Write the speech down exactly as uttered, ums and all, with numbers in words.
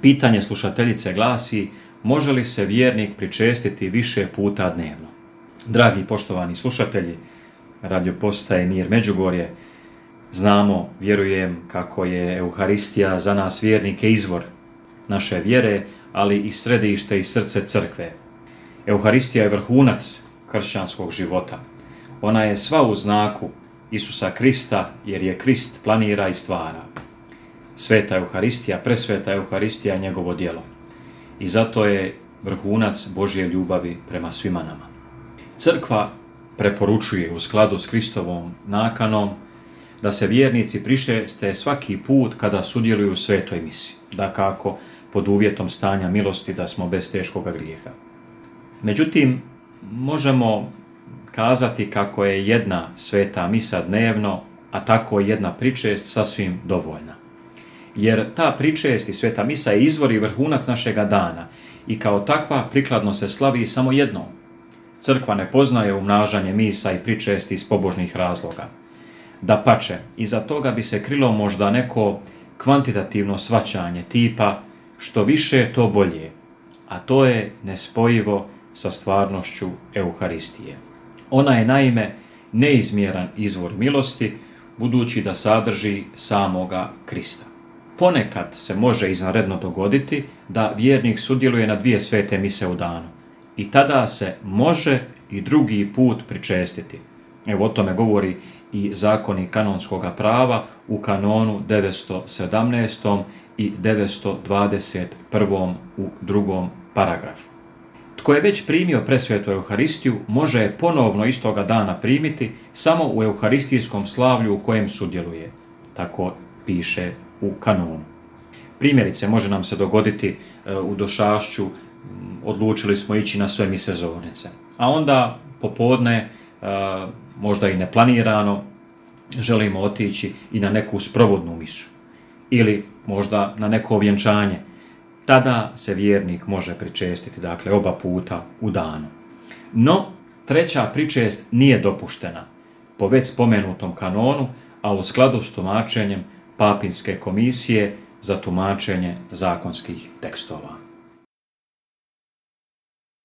Pitanje slušateljice glasi: može li se vjernik pričestiti više puta dnevno? Dragi poštovani slušatelji Radio Postaje Mir Međugorje, znamo, vjerujem, kako je Euharistija za nas vjernike izvor naše vjere, ali i središte i srce crkve. Euharistija je vrhunac kršćanskog života. Ona je sva u znaku Isusa Krista, jer je Krist planira i stvara. Sveta Euharistija, presveta Euharistija je njegovo djelo. I zato je vrhunac Božje ljubavi prema svima nama. Crkva preporučuje u skladu s Kristovom nakanom da se vjernici pričeste svaki put kada sudjeluju u svetoj misi, dakako pod uvjetom stanja milosti da smo bez teškoga grijeha. Međutim, možemo kazati kako je jedna sveta misa dnevno, a tako jedna pričest sasvim dovoljna. Jer ta pričest i sveta misa je izvor i vrhunac našega dana i kao takva prikladno se slavi samo jednom. Crkva ne poznaje umnažanje misa i pričesti iz pobožnih razloga. Dapače, iza toga bi se krilo možda neko kvantitativno shvaćanje tipa što više to bolje, a to je nespojivo sa stvarnošću Euharistije. Ona je naime neizmjeran izvor milosti, budući da sadrži samoga Krista. Ponekad se može izvanredno dogoditi da vjernik sudjeluje na dvije svete mise u danu i tada se može i drugi put pričestiti. Evo o tome govori i zakonik kanonskog prava u kanonu devetsto sedamnaestom i devetsto dvadeset prvom u drugom paragrafu. Tko je već primio presvetu Euharistiju, može je ponovno istoga dana primiti samo u euharistijskom slavlju u kojem sudjeluje. Tako piše u kanonu. Primjerice, može nam se dogoditi u došašću, odlučili smo ići na sve mise zornice, a onda popodne, možda i neplanirano, želimo otići i na neku sprovodnu misu ili možda na neko vjenčanje. Tada se vjernik može pričestiti, dakle, oba puta u danu. No, treća pričest nije dopuštena po već spomenutom kanonu, a u skladu s tumačenjem Papinske komisije za tumačenje zakonskih tekstova.